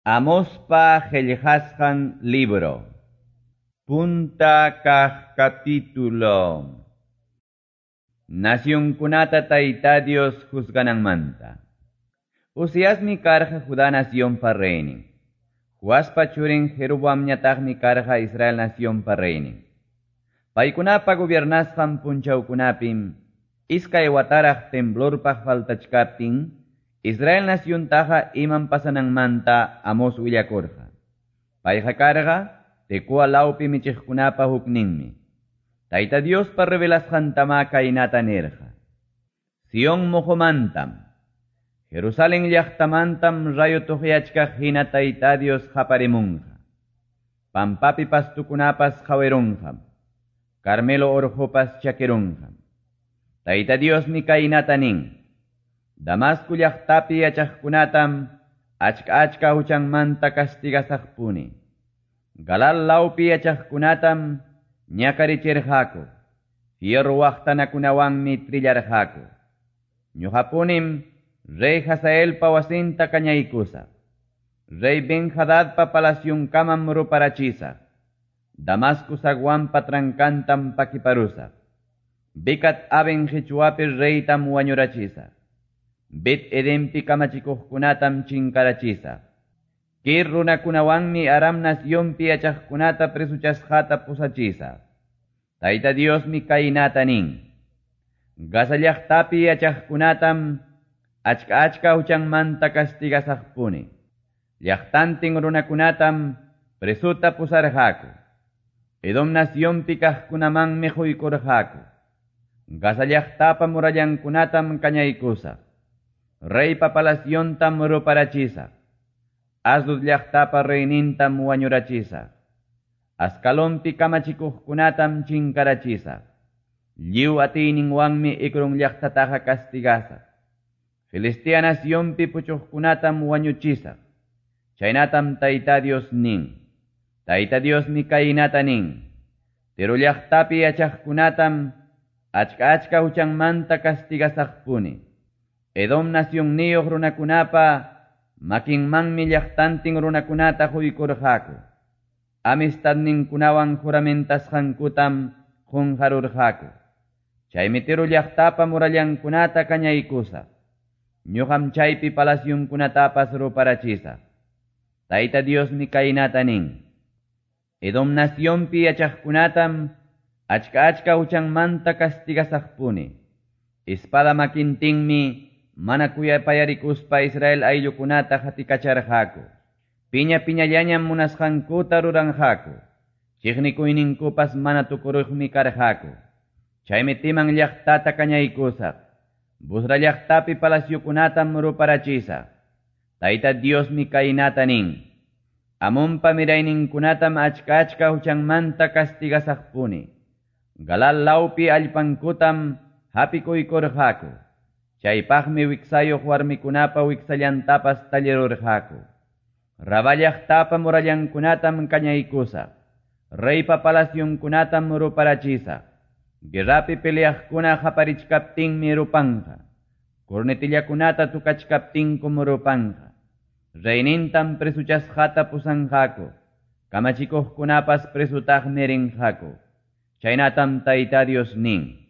Amospa qillqasqan libro. Punta kaq capítulo. Nacionkunata Tayta Dios juzgananmanta. Uziasmi karqa Judá nacionpa reynin. Joaspa churin Jeroboamñataqmi karqa Israel nacionpa reynin. Paykunapa gobiernasqan punchawkunapim iskay wataraq temblorpaq faltachkaptin Israel naciontaqa imam pasananmanta Amos willakurqa. Payqa karqa Tecoa lawpi michiqkunapa hukninmi. Tayta Diospa revelasqantama kaynata nirqa. Sion muhumantam, Jerusalén llaqtamantam rayo tuqyachkaq hina Tayta Dios qaparimunqa. Pampapi pastukunapas qawirunqam, Carmelo urqupas chakirunqam. Tayta Diosmi kaynata nin. Damasco llaqtapi yachaqkunatam achka achka huchanmanta castigasaqpuni. Galal lawpi yachaqkunatam ñakarichirqaku. Fierro waqtanakunawanmi trillarqaku. Ñuqapunim rey Hazaelpa wasinta kañaykusaq. Rey Ben-Hadadpa palacionkamam ruparachisaq. Damasco zaguanpa trankantam pakiparusaq. Bicat Aven qichwapi reytam wañurachisaq. Bet Edenpi kamachikuqkunatam chinkarachisaq. Kir runakunawanmi Aram nacionpi yachaqkunata presuchasqata pusachisaq. Tayta Diosmi kaynata nin. Gaza llaqtapi yachaqkunatam achka achka huchanmanta castigasaqpuni. Llaqtantin runakunatam presuta pusarqaku. Edom nacionpi kaqkunamanmi quykurqaku. Gaza llaqtapa murallankunatam kañaykusaq. Reypa palaciontam ruparachisaq. Asdod llaqtapa reynintam wañurachisaq. Ascalonpi kamachikuqkunatam chinkarachisaq. Lliw atiyninwanmi Ecrón llaqtataqa castigasaq. Filistea nacionpi puchuqkunatam wañuchisaq. Chaynatam Tayta Dios nin. Tayta Diosmi kaynata nin. Tiro llaqtapi yachaqkunatam achka achka huchanmanta castigasaqpuni. Edom nacionniyuq runakunapa makinmanmi llaqtantin runakunata quykurqaku. Amistadninkunawan juramentasqankutam qunqarurqaku. Chaymi Tiro llaqtapa murallankunata kañaykusaq. Ñuqam chaypi palacionkunatapas ruparachisaq. Tayta Diosmi kaynata nin. Edom nacionpi yachaqkunatam achka achka huchanmanta castigasaqpuni. Espada makintinmi mana kuyapayarikuspa Israel ayllukunata hatikacharqaku. Piña piñallañam munasqankuta ruranqaku. Chiqnikuyninkupas mana tukuruqmi karqaku. Chaymi Timan llaqtata kañaykusaq. Busra llaqtapi palaciokunatam ruparachisaq. Tayta Diosmi kaynata nin. Amonpa mirayninkunatam achka achka huchanmanta castigasaqpuni. Galal lawpi allpankutam hapikuykurqaku. Chaypaqmi wiksayuq warmikunapa wiksallantapas tallirurqaku. Rabá llaqtapa murallankunatam kañaykusaq. Reypa palacionkunatam ruparachisaq. Guerrapi peleaqkuna qaparichkaptinmi rupanqa. Cornetillakunata tukachkaptinkum rupanqa. Reynintam presuchasqata pusanqaku. Kamachikuqkunapas presutaqmi rinqaku. Chaynatam Tayta Dios nin.